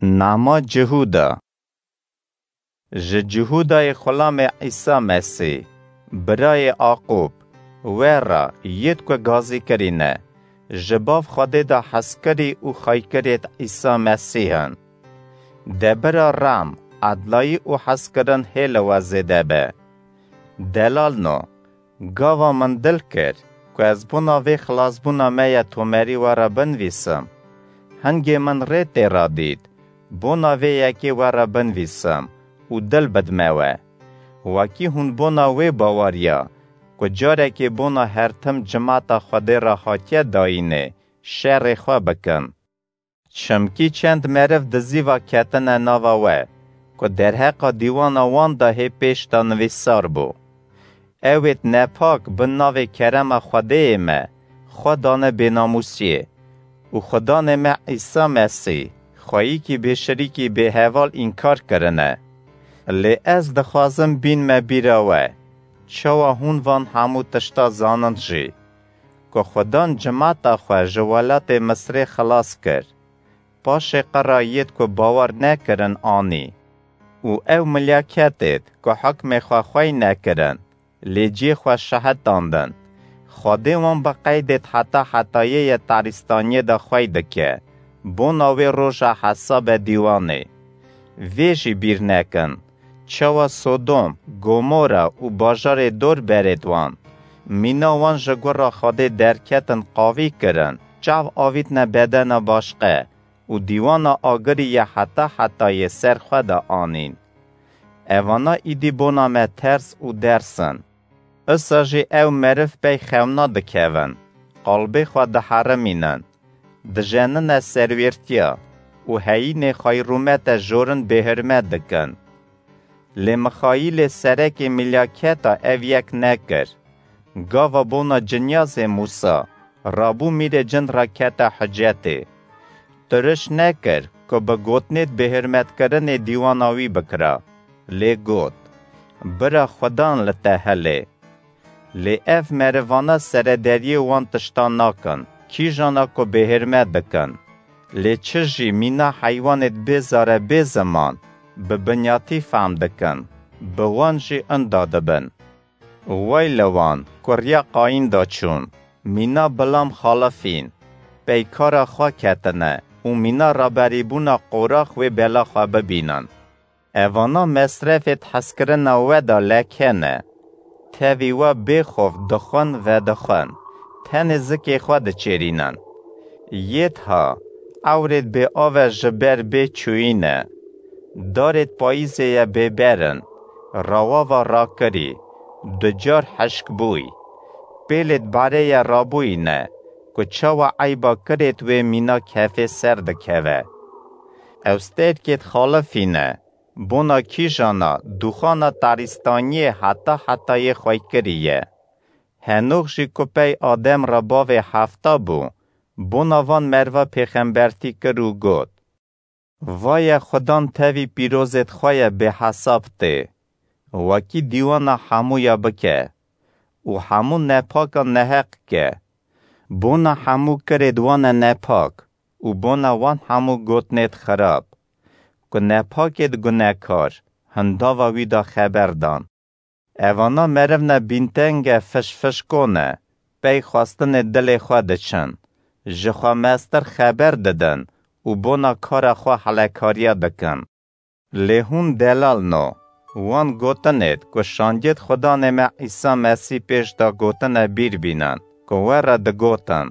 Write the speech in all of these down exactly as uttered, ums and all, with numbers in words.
Nama Cihûda. Ji Cihûdayê xulamê Îsa Mesîh, birayê Aqûb, we re yêd ku gazî kirîne, ji bav Xwedê de hezkirî û xweykirêd Îsa Mesîh in. De bira rem, edlayî û hezkirin hê li we zêde be. Delalno, gava min dil kir ku ez bona vê xilasbûna me ya tomerî we re binivîsim. Hingê min rê tê re dît, bona vê yekê we re binivîsim û dil bidime we. Wekî hûn bona wê baweriya ku carekê bona her tim cimata Xwedê re hatiye dayînê, şerê xwe bikin. Çimkî çend meriv dizî ve ketine nava we, ku derheqa dîwana wan de hê pêş de nivîsar bû. Ewêd nepak bi navê kerema Xwedêyê me xwe dane bênamûsiyê û Xudanê me Îsa Mesîh xweyîkî bêşirîkî bêheval înkar kirine. Lê ez dixwazim bînme bîra we, çawa hûn van hemû tişta zanin jî, ku Xudan cimata xwe ji welatê Misrê xilas kir. Paşê qira yêd ku bawer nekirin anî. Û ew milyaketêd ku hukmê xwe xwey nekirin, lê cê xwe şehitandin. Xwedê wan bi qeydêd heta hetayê ye tarîstaniyê de xwey dike, bona wê roja hesabe dîwanê. Vê jî bîr nekin, çawa Sodom, Gomora û bajarê dor berêd wan, mîna wan ji gura Xwedê derketin qavî kirin, çav avîtine bedena başqe û dîwana agirî ye heta hetayê ser xwe de anîn. Evana îdî bona me ters û ders in. Isa jî ew meriv pey xewna dikevin, qalbê xwe diherimînin, dijenine serwêrtiya û heyînê xweyrûmete jorin bêhurmet dikin. Lê Mixayîlê serekê milyaketa ev yek nekir. Gava bona cinyazê Mûsa, rabû mîrê cin re kete hicetê. Tiriş nekir ku bi gotinêd bêhurmetkirinê dîwana wî bikira. Lê got, bira Xudan li te hilê. Lê ev merivana serederiyê wan tiştan nakin, kîjana ku bêhurmet dikin. Lê çi jî mîna heywanêd bê zare bê ziman, bi binyatî fehm dikin, bi wan jî inda dibin. Wey li wan ku riya Qayîn da çûn, mîna Bilam xalifîn, peykara xwe ketine û mîna raberîbûna Qorax wê bela xwe bibînin. Evana mesrefêd hezkirina we de leke ne. Tevî we bêxof dixwin vedixwin, tenê zikê xwe diçêrînin. Yêd ha, ewrêd bê ave ji ber bê çûyî ne. Darêd payîzê ye bêber in, rawava rakirî, ducar hişk bûy. Pêlêd barê ye rabûyî ne, ku çawa eyba kirêd wê mîna kefê ser dikeve. Ew stêrkêd xalifî ne, bona kîjana dûxana tarîstaniyê heta hetayê xweykirî ye. Henox jî ku pey Adem re bavê hefta bû, bona van merva pêxembertî kir û got, Vaye Xudan tevî pîrozêd xwe ye bêhesab tê, wekî dîwana hemûya bike û hemû nepakan neheq ke. Bona hemû kirêd wane nepak û bona wan hemû gotinêd xirab, ku nepakêd gunekar hindava wî de xeber dan. Evana merivne bîntenge fişfişko ne, pey xwestinê dilê xwe diçin, ji xwe mestir xeber didin û bona kara xwe helekariya dikin. Lê hûn delal no, wan gotinêd ku şandiyêd Xudanê me Îsa Mesîh pêş de gotine bîr bînin, ku we re digotin.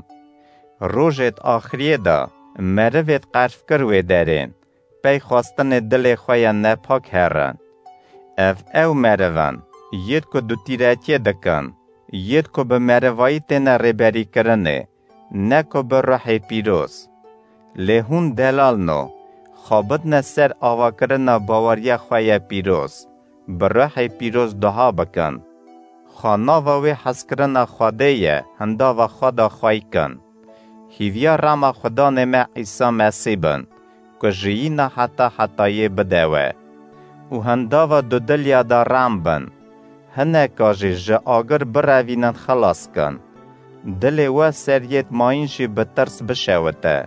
Rojêd axiriyê de merivêd qerfkir wê derên, pey xwestinê dilê xwe ya nepak herin. Ev ew meriv in, yêd ku dutîretiyê dikin, yêd ku bi merivayî têne rêberîkirinê, ne ku bi ruhê pîroz. Lê hûn delal no, xabitne ser avakirina baweriya xwe ye pîroz, bi ruhê pîroz duha bikin. Xwe nava wê hezkirina Xwedê ye hindava xwe de xwey kin. Hîviya rema Xudanê me Îsa Mesîh bin, ku jiyîna heta hetayê bide we. Û hindava dudiliya de rem bin. Hineka jî ji agir birevînin xilas kin. Dilê we ser yêd mayîn jî bi tirs bişewite.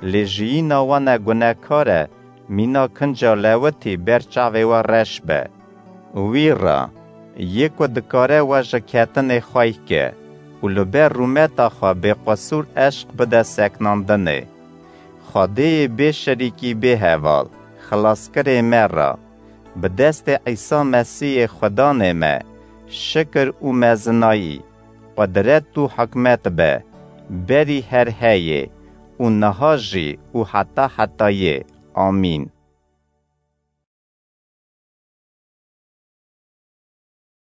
Lê jiyîna we ne gunekar e, mîna kinca lewitî ber çavê we reş be. Wî re, yê ku dikare we ji ketinê xwey ke û li ber rûmeta xwe bêqisûr eşq bide seknandinê. Xwedêyê bê şerîkî bê heval, xilaskirê me re, bi destê Îsa Mesîhê Xudanê me, şikir û mezinayî, qudret û hikmet be, berî her heyê û niha jî û heta hetayê. Amîn.